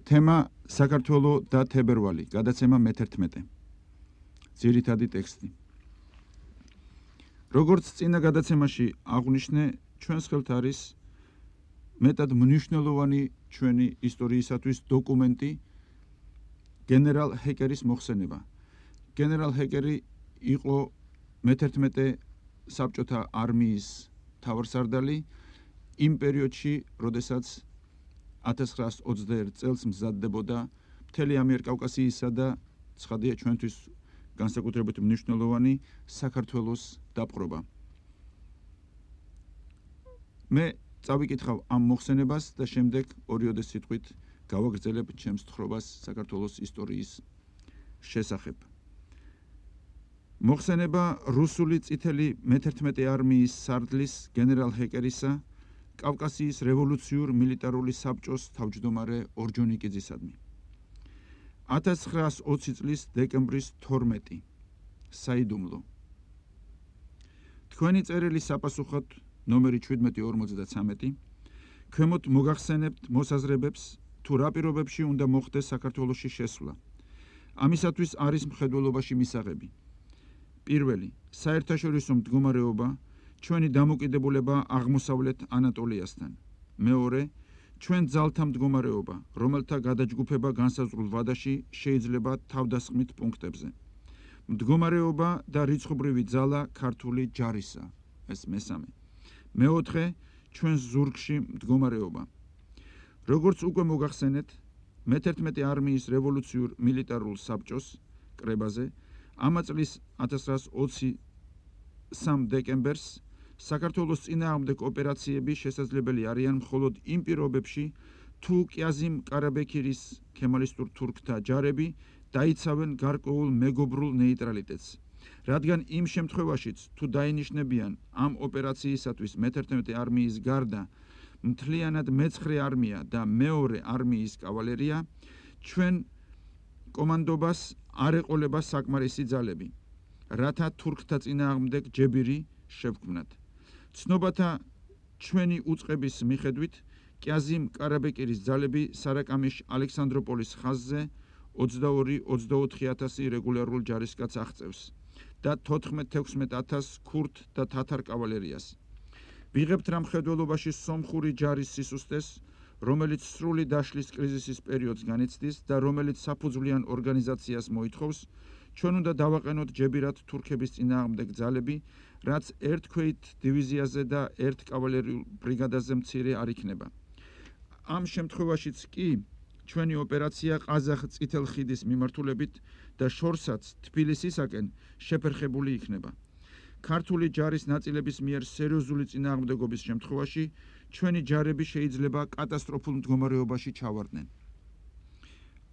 თემა საქართველო და თებერვალი, გადაცემა მე-11. ძირითადი ტექსტი. როგორც წინა გადაცემაში აღვნიშნე, ჩვენს ხელთ არის მეტად მნიშვნელოვანი ჩვენი ისტორიისათვის დოკუმენტი გენერალ ჰეკერის მოხსენება. გენერალ ჰეკერი იყო მე-11 საბჭოთა არმიის მთავარსარდალი იმ პერიოდში, როდესაც 1921 წელს მზადდებოდა მთელი ამიერკავკასიისა და ცხადია ჩვენთვის განსაკუთრებით მნიშვნელოვანი საქართველოს დაპყრობა. მე წავიკითხავ ამ მოხსენებას და შემდეგ ორიოდე სიტყვით გავაგრძელებ ჩემს თხრობას საქართველოს ისტორიის შესახებ. მოხსენება რუსული წითელი მე-11 არმიის სარდლის გენერალ ჰეკერისა კავკასიის რევოლუციურ მილიტარული საბჭოს თავმჯდომარე ორჯონიკიძისადმი. 1920 წლის დეკემბრის 12 საიდუმლო. თქვენი წერილი საპასუხოდ ნომერი 1753 ქვემოთ მოგახსენებთ მოსაზრებებს თუ რა პირობებში უნდა მოხდეს საქართველოში შესვლა. ამისათვის არის მხედველობაში მისაღები. პირველი, საერთაშორისო მდგომარეობა, ჩვენი დამოკიდებულება აღმოსავლეთ ანატოლიასთან. მეორე, ჩვენ ძალთა მდგომარეობა, რომელთა გადაჯგუფება განსაზღვრულ ვადაში შეიძლება თავდასხმით პუნქტებზე. მდგომარეობა და რიცხობრივი ძალა ქართული ჯარისა, ეს მესამე. მეოთხე, ჩვენს ზურგში მდგომარეობა. როგორც უკვე მოგახსენეთ, მე-11 არმიის რევოლუციურ მილიტარულ საბჭოს კრებაზე ამა წლის 1923 დეკემბერს საქართველოს წინააღმდეგ ოპერაციები შესაძლებელი არიან მხოლოდ იმ პირობებში, თუ კიაზიმ კარაბექირის ქემალისტურ თურქთა ჯარები დაიცავენ გარკვეულ მეგობრულ ნეიტრალიტეტს. რადგან იმ შემთხვევაშიც, თუ დაინიშნებიან ამ ოპერაციისათვის მე-11 არმიის გარდა მთლიანად მე-9 არმია და მეორე არმიის კავალერია, ჩვენ კომანდობას არ ეყოლება საკმარისი ძალები, რათა თურქთა წინააღმდეგ ჯებირი შევქმნათ. ცნობათა ჩვენი უწყების მიხედვით, კიაზიმ კარაბეკირის ძალები სარაკამიშ ალექსანდროპოლის ხაზზე 22-24,000 რეგულარულ ჯარისკაცს აღწევს და 14-16,000 ქურთ და თათარ კავალერიას. ვიღებთ რა მხედველობაში სომხური ჯარის სისუსტეს, რომელიც სრული დაშლის კრიზისის პერიოდს განიცდის და რომელიც საფუძვლიან ორგანიზაციას მოითხოვს, ჩვენ უნდა დავაყენოთ ჯებირად თურქების წინააღმდეგ ძალები, რაც ერთ ქვეით დივიზიაზე და ერთ კავალერიულ ბრიგადაზე მცირე არ იქნება. ამ შემთხვევაშიც კი ჩვენი ოპერაცია ყაზახ წითელ ხიდის მიმართულებით და შორსაც თბილისისაკენ შეფერხებული იქნება. ქართული ჯარის ნაწილების მიერ სერიოზული წინააღმდეგობის შემთხვევაში ჩვენი ჯარები შეიძლება კატასტროფულ მდგომარეობაში ჩავარდნენ.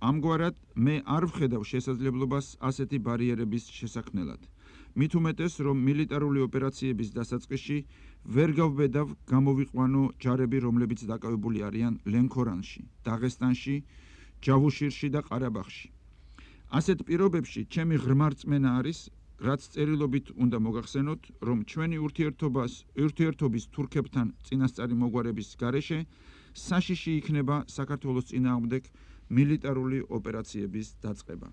ამგვარად მე არ ვხედავ შესაძლებლობას ასეთი ბარიერების შესაქმნელად. მით უმეტეს, რომ მილიტარული ოპერაციების დასაწყისში ვერ გავბედავ გამოვიყვანო ჯარები, რომლებიც დაკავებული არიან ლენქორანში, დაღესტანში, ჯავუშირში და ყარაბაღში. ასეთ პირობებში ჩემი ღრმა რწმენა არის, რაც წერილობით უნდა მოგახსენოთ, რომ ჩვენი ურთიერთობის თურქებთან წინასწარი მოგვარების გარეშე საშიში იქნება საქართველოს წინააღმდეგ მილიტარული ოპერაციების დაწყება.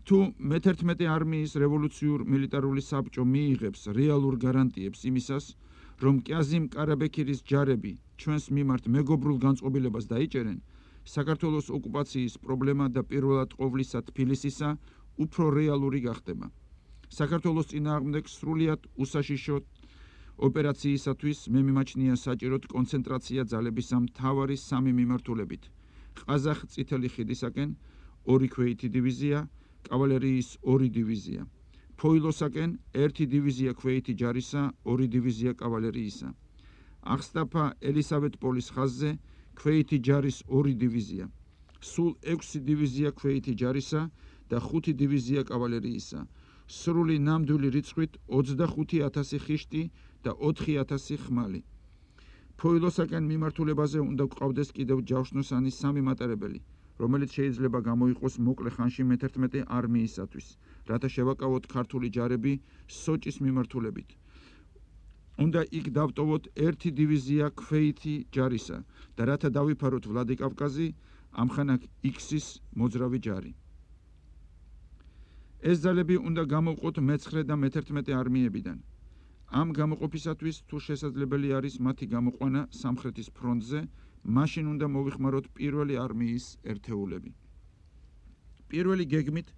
თუ მე-11 არმიის რევოლუციურ მილიტარული საბჭო მიიღებს რეალურ გარანტიებს იმისას, რომ კიაზიმ კარაბექირის ჯარები ჩვენს მიმართ მეგობრულ განწყობილებას დაიჭერენ, საქართველოს ოკუპაციის პრობლემა და პირველად ყოვლისა თბილისისა უფრო რეალური გახდება. საქართველოს წინააღმდეგ სრულიად უსაშიშო ოპერაციისათვის მე მიმაჩნია საჭიროდ კონცენტრაცია ძალებისა მთავარი სამი მიმართულებით: ყაზახ წითელი ხიდისაკენ 2 ქვეითი დივიზია, კავალერიის 2 დივიზია, ფოილოსაკენ 1 დივიზია ქვეითი ჯარისა, 2 დივიზია კავალერიისა, აღსტაფა ელისავეტპოლის ხაზზე ქვეითი ჯარის 2 დივიზია, სულ 6 დივიზია ქვეითი ჯარისა და 5 დივიზია კავალერიისა, სრული ნამდვილი რიცხვით 25,000 ხიშტი და 4,000 ხმალი. ფოილოსაკენ მიმართულებაზე უნდა გვყავდეს კიდევ ჯავშნოსანი 3 მატარებელი, რომელიც შეიძლება გამოიყოს მოკლე ხანში მე-11 არმიისათვის, რათა შევაკავოთ ქართული ჯარები სოჭის მიმართულებით. უნდა იქ დავტოვოთ 1 დივიზია ქვეითი ჯარისა და რათა დავიფაროთ ვლადიკავკაზი, ამხანაგ X-ის მოძრავი ჯარი. ეს ძალები უნდა გამოვყოთ მე-9 და მე-11 არმიებიდან. ამ გამოყოფისათვის თუ შესაძლებელი არის მათი გამოყვანა სამხრეთის ფრონტზე, მაშინ უნდა მოვიხმაროთ პირველი არმიის ერთეულები. პირველი გეგმით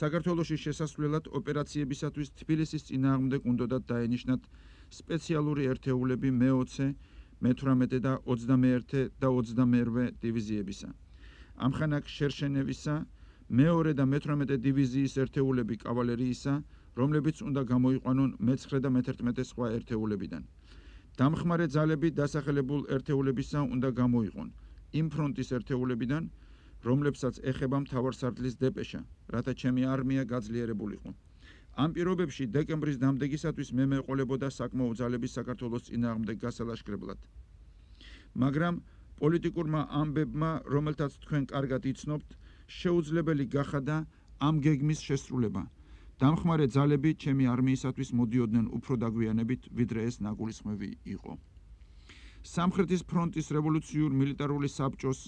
საქართველოში შესასვლელად ოპერაციებისათვის თბილისის წინააღმდეგ უნდათ დაენიშნათ სპეციალური ერთეულები მე-20, მე-18 და 21 და 22 დივიზიებისა. ამხანაგ შერშენევისა მე-2 და მე-18 დივიზიის ერთეულები კავალერიისა, რომლებიც უნდა გამოიყვანონ მე-9 და მე-11 სხვა ერთეულებიდან. დამხმარე ძალები დასახელებულ ერთეულებისა უნდა გამოიყვონ იმ ფრონტის ერთეულებიდან, რომლებსაც ეხება მთავარსარდლის დეპეშა, რათა ჩემი არმია გაძლიერებულიყო. ამ პირობებში დეკემბრის დამდეგისათვის მე მეყოლებოდა საკმაო ძალების საქართველოს წინააღმდეგ გასალაშქრებლად. მაგრამ პოლიტიკურმა ამბებმა, რომელთაც თქვენ კარგად იცნობთ, შეუძლებელი გახადა ამ გეგმის შესრულება. დამხმარე ძალები ჩემი არმიისათვის მოდიოდნენ უფრო დაგვიანებით, ვიდრე ეს ნაგულისხმევი იყო. სამხრეთის ფრონტის რევოლუციურ მილიტარული საბჭოს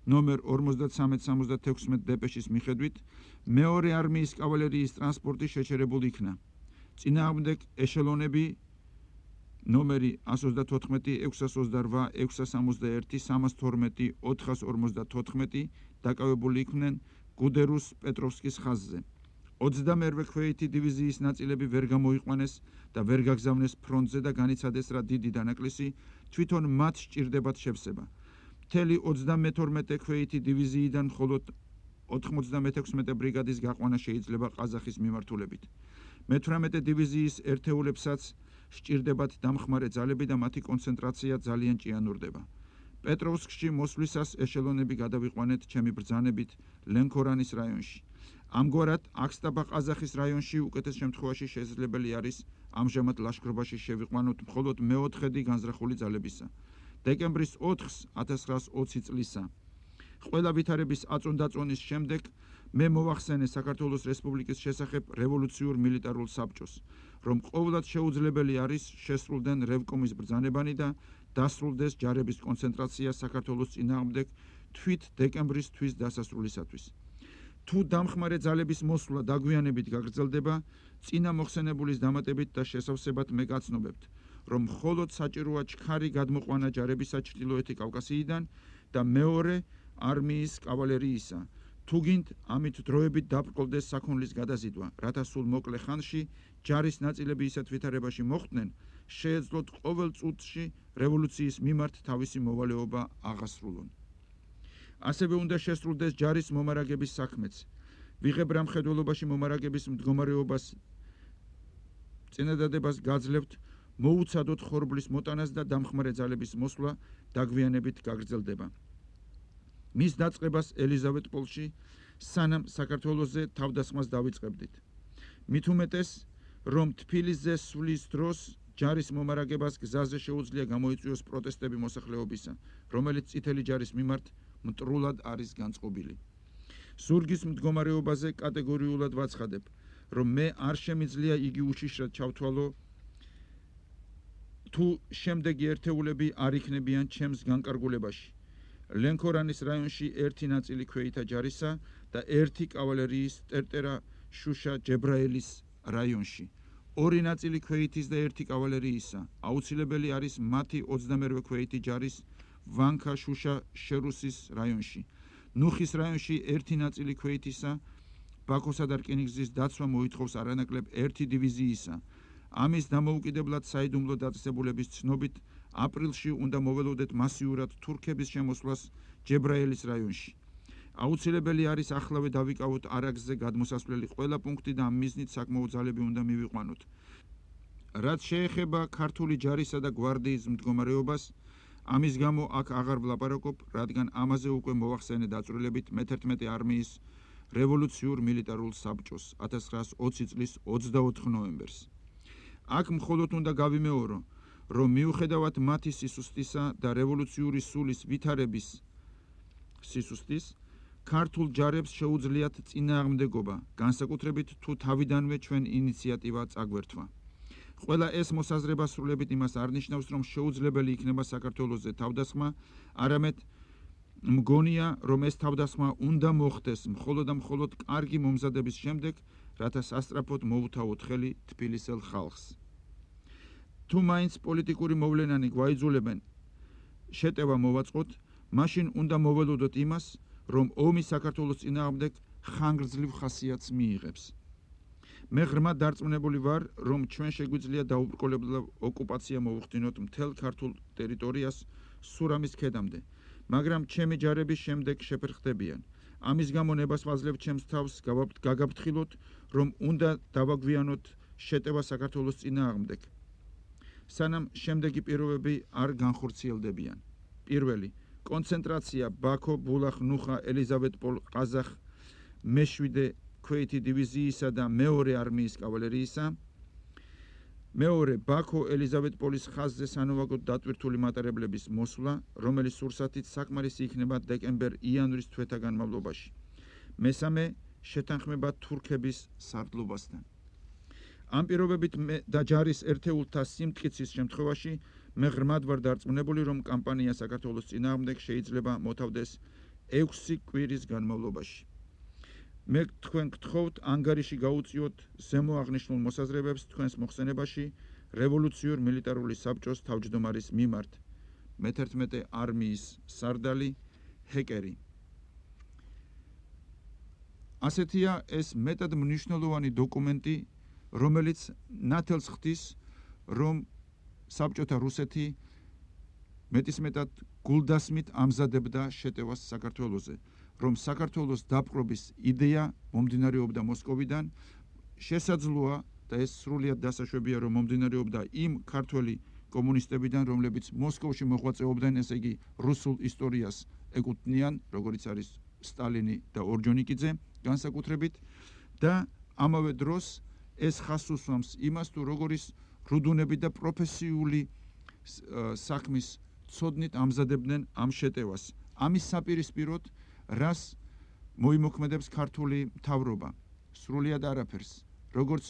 ნომერ 53-76 დეპეშის მიხედვით, მეორე არმიის კავალერიის ტრანსპორტი შეჩერებულ იქნა. წინააღმდეგ ეშელონები ნომერი 134, 628, 661, 312, 454 დაკავებული იყვნენ გუდერუს პეტროვსკის ხაზზე. 22 ქვეითი დივიზიის ნაწილები ვერ გამოიყვანეს და ვერ გაგზავნეს ფრონტზე და განიცადეს რა დიდი დანაკლისი თვითონ მათ სჭირდებათ შევსება. მთელი 32 ქვეითი დივიზიიდან მხოლოდ 96 ბრიგადის გაყვანა შეიძლება ყაზახის მიმართულებით. მე-18 დივიზიის ერთეულებსაც სჭირდებათ დამხმარე ძალები და მათი კონცენტრაცია ძალიან ჭიანურდება. პეტროვსკში მოსვლისას ეშელონები გადავიყვანეთ ჩემი ბრძანებით ლენქორანის რაიონში. ამგვარად, აქსტაბა ყაზახის რაიონში უკეთეს შემთხვევაში შესაძლებელი არის ამჟამად ლაშქრობაში შევიყვანოთ მხოლოდ მე-4 განზრახული ძალებისა. დეკემბრის 4-ს 1920 წლისა. ყველა ვითარების აწონდაწონის შემდეგ მე მოვახსენე საქართველოს რესპუბლიკის შესახებ რევოლუციურ მილიტარულ საბჭოს, რომ ყოვლად შეუძლებელი არის შესრულდნენ რევკომის ბრძანებანი და დასრულდეს ჯარების კონცენტრაცია საქართველოს წინააღმდეგ თვით დეკემბრის თვის დასასრულისათვის. თუ დამხმარე ძალების მოსვლა დაგვიანებით გაგრძელდება, წინა მოხსენებულის დამატებით და შესავსებად მე გაცნობებთ, რომ მხოლოდ საჭიროა ჩქარი გადმოყვანა ჯარებისა ჩრდილოეთი კავკასიიდან და მეორე არმიის კავალერიისა. თუ გინდ, ამით დროებით დაბრკოლდეს საქონლის გადაზიდვა, რათა სულ მოკლე ხანში ჯარის ნაწილები ისეთ ვითარებაში მოხვდნენ, შეეძლოთ ყოველ წუთში რევოლუციის მიმართ თავისი მოვალეობა აღასრულონ. ასევე უნდა შესრულდეს ჯარის მომარაგების საქმეც. ვიღებ რა მხედველობაში მომარაგების მდგომარეობას წინადადებას გაძლევთ, მოუცადოთ ხორბლის მოტანას და დამხმარე ძალების მოსვლა დაგვიანებით გაგრძელდება. მის დაწყებას ელიზავეტპოლში, სანამ საქართველოზე თავდასხმას დავიწყებდით. მით უმეტეს, რომ თბილისზე სვლის დროს ჯარის მომარაგებას გზაზე შეუძლია გამოიწვიოს პროტესტები მოსახლეობისა, რომელიც წითელი ჯარის მიმართ მტრულად არის განწყობილი. ზურგის მდგომარეობაზე კატეგორიულად ვაცხადებ, რომ მე არ შემიძლია იგი უშიშრად ჩავთვალო, თუ შემდეგი ერთეულები არ იქნებიან ჩემს განკარგულებაში. ლენქორანის რაიონში ერთი ნაწილი ქვეითა ჯარისა და ერთი კავალერიის ტერტერა შუშა ჯებრაელის რაიონში. ორი ნაწილი ქვეითის და ერთი კავალერიისა. აუცილებელი არის მათი 22 ქვეითი ჯარის ვანქა შუშა შერუსის რაიონში. ნუხის რაიონში ერთი ნაწილი ქვეითისა, ბაქოსა და რკინიგზის დაცვა მოითხოვს არანაკლებ ერთი დივიზიისა. ამის დამოუკიდებლად საიდუმლო დაწესებულების ცნობით, აპრილში უნდა მოველოდეთ მასიურად თურქების შემოსვლას ჯებრაელის რაიონში. აუცილებელი არის ახლავე დავიკავოთ არაგზზე გადმოსასვლელი ყველა პუნქტი და ამ მიზნით საკმაო ძალები უნდა მივიყვანოთ. რაც შეეხება ქართული ჯარისა და გვარდიის მდგომარეობას, ამის გამო აქ აღარ ვლაპარაკობ, რადგან ამაზე უკვე მოვახსენე დაწვრილებით მე-11 არმიის რევოლუციურ მილიტარულ საბჭოს 1920 წლის 24 ნოემბერს. აქ მხოლოდ უნდა გავიმეორო, რომ მიუხედავად მათი სისუსტისა და რევოლუციური სულის ვითარების სისუსტის, ქართულ ჯარებს შეუძლიათ წინააღმდეგობა, განსაკუთრებით თუ თავიდანვე ჩვენ ინიციატივა წაგვერთვა. ყველა ეს მოსაზრება სრულებით იმას არ ნიშნავს, რომ შეუძლებელი იქნება საქართველოზე თავდასხმა, არამედ მგონია, რომ ეს თავდასხმა უნდა მოხდეს მხოლოდ და მხოლოდ კარგი მომზადების შემდეგ, რათა სასწრაფოდ მოუთავოთ ხელი თბილისელ ხალხს. თუ მაინც პოლიტიკური მოვლენანი გვაიძულებენ შეტევა მოვაწყოთ, მაშინ უნდა მოველოდოთ იმას, რომ ომი საქართველოს წინააღმდეგ ხანგრძლივ ხასიათს მიიღებს. მე ღრმად დარწმუნებული ვარ, რომ ჩვენ შეგვიძლია დაუბრკოლებლად ოკუპაცია მოვუხდინოთ მთელ ქართულ ტერიტორიას სურამის ქედამდე, მაგრამ ჩემი ჯარების შემდეგ შეფერხდებიან. ამის გამო ნებას ვაძლევთ ჩემს თავს გაგაფრთხილოთ, რომ უნდა დავაგვიანოთ შეტევა საქართველოს წინააღმდეგ, სანამ შემდეგი პირობები არ განხორციელდებიან. პირველი, კონცენტრაცია ბაქო, ბულახ, ნუხა, ელიზავეტპოლ, ყაზახ, მე-7 ქვეითი დივიზიისა და მეორე არმიის კავალერიისა. მეორე, ბაქო, ელიზავეტპოლის ხაზზე სანოვაგოდ დატვირთული მატარებლების მოსვლა, რომელიც სურსათით საკმარისი იქნება დეკემბერ-იანვრის თვეთა განმავლობაში. მესამე, შეთანხმება თურქების სარდლობასთან. ამ პირობებით და ჯარის ერთეულთა სიმტკიცის შემთხვევაში მე ღრმად ვარ დარწმუნებული, რომ კამპანია საქართველოს წინააღმდეგ შეიძლება მოთავდეს 6 კვირის განმავლობაში. მე თქვენ გთხოვთ ანგარიში გაუწიოთ ზემო აღნიშნულ მოსაზრებებს თქვენს მოხსენებაში რევოლუციურ მილიტარული საბჭოს თავმჯდომარის მიმართ. მე-11 არმიის სარდალი ჰეკერი. ასეთია ეს მეტად მნიშვნელოვანი დოკუმენტი, რომელიც ნათელს ხდის, რომ საბჭოთა რუსეთი მეტისმეტად გულდასმით ამზადებდა შეტევას საქართველოზე, რომ საქართველოს დაპყრობის იდეა მომდინარეობდა მოსკოვიდან, შესაძლოა და ეს სრულიად დასაშვებია, რომ მომდინარეობდა იმ ქართველი კომუნისტებიდან, რომლებიც მოსკოვში მოღვაწეობდნენ, ესე იგი რუსულ ისტორიას ეკუთვნიან, როგორც არის სტალინი და ორჯონიკიძე განსაკუთრებით და ამავე დროს ეს ხაზს უსვამს იმას, თუ როგორ ის რუდუნები და პროფესიული საქმის ცოდნით ამზადებდნენ ამ შეტევას. ამის საპირისპიროდ, რას მოიმოქმედებს ქართული მთავრობა? სრულიად არაფერს. როგორც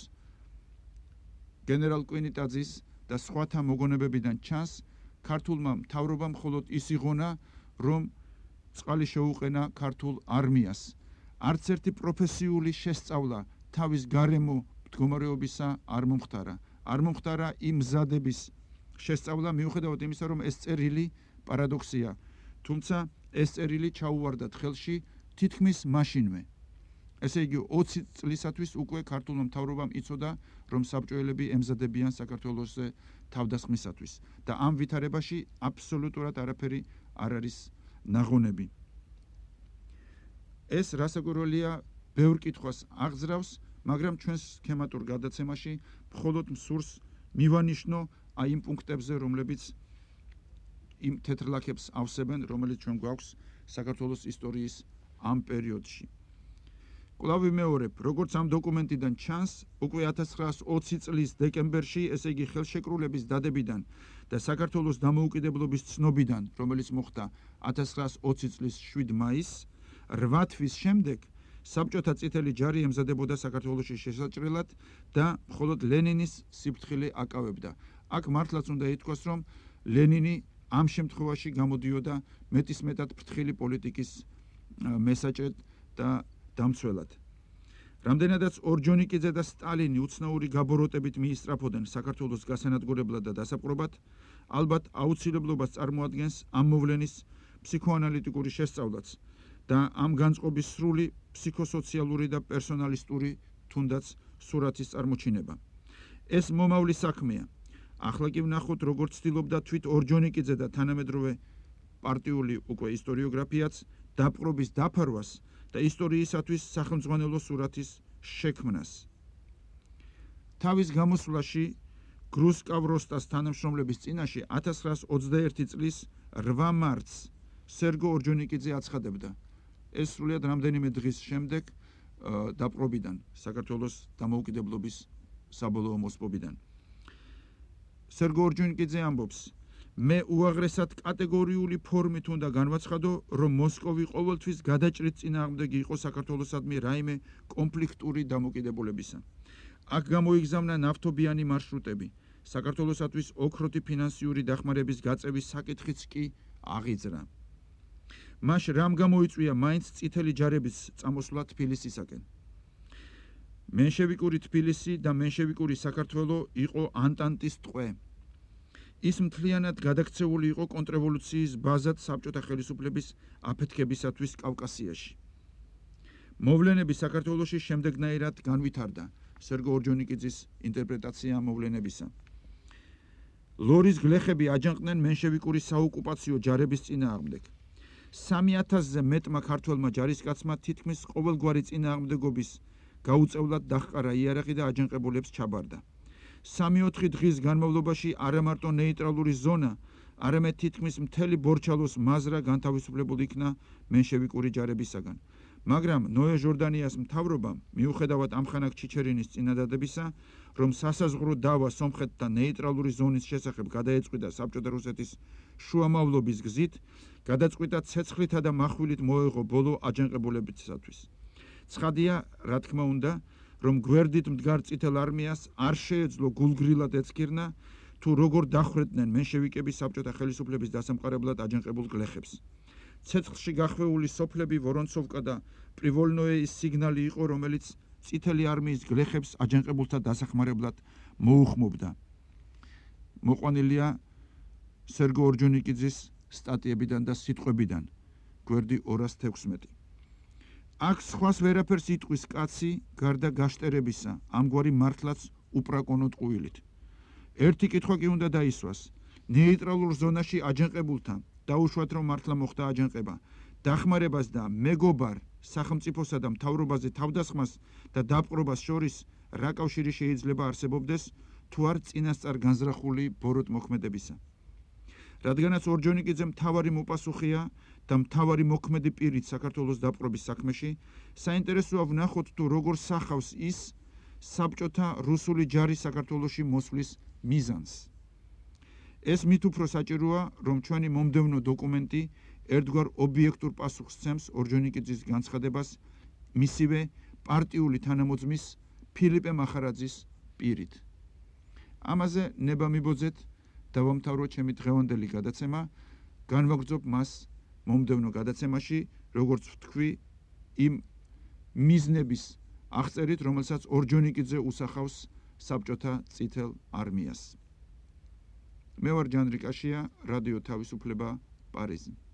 გენერალ კვინიტაძის და სხვათა მოგონებებიდან ჩანს, ქართულმა მთავრობამ მხოლოდ ის იღონა, რომ წყალი შეუყენა ქართულ არმიას. არც ერთი პროფესიული შესწავლა თავის გარემო მდგომარეობისა არ მომხდარა. არ მომხდარა იმ მზადების შესწავლა, მიუხედავად იმისა, რომ ეს წერილი პარადოქსია, თუმცა ეს წერილი ჩაუვარდათ ხელში თითქმის მაშინვე. ესე იგი 20 წლისათვის უკვე ქართულმა მთავრობამ იცოდა, რომ საბჭოელები ემზადებიან საქართველოს თავდასხმისათვის და ამ ვითარებაში აბსოლუტურად არაფერი არ არის ნაღონები. ეს რასაკვირველია, ბევრ კითხვას აღძრავს, მაგრამ ჩვენს სქემატურ გადაცემაში მხოლოდ მსურს მივანიშნო აი იმ პუნქტებზე, რომლებიც იმ თეთრ ლაქებს ავსებენ, რომელიც ჩვენ გვაქვს საქართველოს ისტორიის ამ პერიოდში. კვლავ ვიმეორებ, როგორც ამ დოკუმენტიდან ჩანს, უკვე 1920 წლის დეკემბერში, ესე იგი ხელშეკრულების დადებიდან და საქართველოს დამოუკიდებლობის ცნობიდან, რომელიც მოხდა 1920 წლის 7 მაისს, 8 თვის შემდეგ საბჭოთა წითელი ჯარი ემზადებოდა საქართველოში შესაჭრელად და მხოლოდ ლენინის სიფრთხილე აკავებდა. აქ მართლაც უნდა ითქვას, რომ ლენინი ამ შემთხვევაში გამოდიოდა მეტისმეტად ფრთხილი პოლიტიკის მესაჭრედ და დამცველად. რამდენადაც ორჯონიკიძე და სტალინი უცნაური გაბოროტებით მიისწრაფოდნენ საქართველოს გასანადგურებლად და დასაპყრობად, ალბათ აუცილებლობას წარმოადგენს ამ მოვლენის ფსიქოანალიტიკური შესწავლაც და ამ განწყობის სრული ფსიქოსოციალური და პერსონალისტური თუნდაც სურათის წარმოჩინება. ეს მომავლის საქმეა. ახლა კი ვნახოთ, როგორც ცდილობდა თვით ორჯონიკიძე და თანამედროვე პარტიული უკვე ისტორიოგრაფიაც დაპყრობის დაფარვას და ისტორიისათვის სახელმძღვანელო სურათის შექმნას. თავის გამოსვლაში გრუსკავროსტას თანამშრომლების წინაშე 1921 წლის 8 მარტს სერგო ორჯონიკიძე აცხადებდა. ეს სრულიად რამდენიმე დღის შემდეგ დაპყრობიდან, საქართველოს დამოუკიდებლობის საბოლოო მოსპობიდან. სერგო ორჯონიკიძე ამბობს, მე უაღრესად კატეგორიული ფორმით უნდა განვაცხადო, რომ მოსკოვი ყოველთვის გადაჭრით წინააღმდეგი იყო საქართველოსადმი რაიმე კონფლიქტური დამოკიდებულებისა. აქ გამოიგზავნა ნავთობიანი მარშრუტები, საქართველოსათვის ოქროთი ფინანსიური დახმარების გაწევის საკითხიც კი აღიძრა. მას რამ გამოიწვია მაინც წითელი ჯარების წამოსვლა თბილისისაკენ. მენშევიკური თბილისი და მენშევიკური საქართველო იყო ანტანტის ტყვე. ის მთლიანად გადაქცეული იყო კონტრრევოლუციის ბაზად საბჭოთა ხელისუფლების აფეთქებისათვის კავკასიაში. მოვლენები საქართველოში შემდეგნაირად განვითარდა. სერგო ორჯონიკიძის ინტერპრეტაცია მოვლენებისა. ლორის გლეხები აჯანყდნენ მენშევიკური საოკუპაციო ჯარების წინააღმდეგ. 3000-ზე მეტმა ქართველმა ჯარისკაცმა თითქმის ყოველგვარი წინააღმდეგობის გაუწევლად დაჰყარა იარაღი და აჯანყებულებს ჩაბარდა. 3-4 დღის განმავლობაში არა მარტო ნეიტრალური ზონა, არამედ თითქმის მთელი ბორჩალოს მაზრა განთავისუფლებული იქნა მენშევიკური ჯარებისაგან. მაგრამ ნოე ჟორდანიას მთავრობამ, მიუხედავად ამხანაგ ჩიჩერინის წინადადებისა, რომ სასაზღვრო დავა სომხეთთან ნეიტრალური ზონის შესახებ გადაეწყვიტა საბჭოთა რუსეთის შუამავლობის გზით, გადაწყვიტა ცეცხლითა და מחვილით მოეღო ბოლო აჯანყებულებისათვის. ცხადია, რა თქმა უნდა, რომ გვერდით მდგარ წითელ არმიას არ შეეძლო გულგრილად ეცქირნა, თუ როგორ დახვეწდნენ მენშევიკები საბჭოთა ხელისუფლების დასამყარებლად აჯანყებულ გლეხებს. ცეცხლში გახვეული სოფლები ვორონცოვკა და პრივოლნოეის სიგნალი იყო, რომელიც წითელი არმიის გლეხებს აჯანყებულთა დასახმარებლად მოუხმობდა. მოყვანილია სერგო ორჯონიკიძის სტატიებიდან და სიტყვებიდან, გვერდი 216. აქ სხვას ვერაფერს იტყვის კაცი გარდა გაშტერებისა, ამგვარი მართლაც უპრაკონო ტყუილით. ერთი კითხვა კი უნდა დაისვას. ნეიტრალურ ზონაში აჯანყებულთა დაუშვათ რომ მართლა მოხდა აჯანყება, დახმარებას და მეგობარ სახელმწიფოსა და მთავრობაზე თავდასხმას და დაპყრობას შორის რა კავშირი შეიძლება არსებობდეს, თუ არ წინასწარ განზრახული ბოროტ მოქმედებისა. რადგანაც ორჯონიკიძე მთავარი მოპასუხეა და მთავარი მოქმედი პირით საქართველოს დაპყრობის საქმეში, საინტერესოა ვნახოთ თუ როგორ სახავს ის საბჭოთა რუსული ჯარის საქართველოში მოსვლის მიზანს. ეს მით უფრო საჭიროა, რომ ჩვენი მომდევნო დოკუმენტი ერთგვარ ობიექტურ პასუხს სცემს ორჯონიკიძის განცხადებას მისივე პარტიული თანამოძმის ფილიპე მახარაძის პირით. ამაზე ნება მიბოძეთ, დავამთავრო ჩემი დღევანდელი გადაცემა, განვაგრძობ მას მომდევნო გადაცემაში, როგორც ვთქვი, იმ მიზნების აღწერით, რომელსაც ორჯონიკიძე უსახავს საბჭოთა წითელ არმიას. მე ვარ ჯანრი კაშია, რადიო თავისუფლება, პარიზი.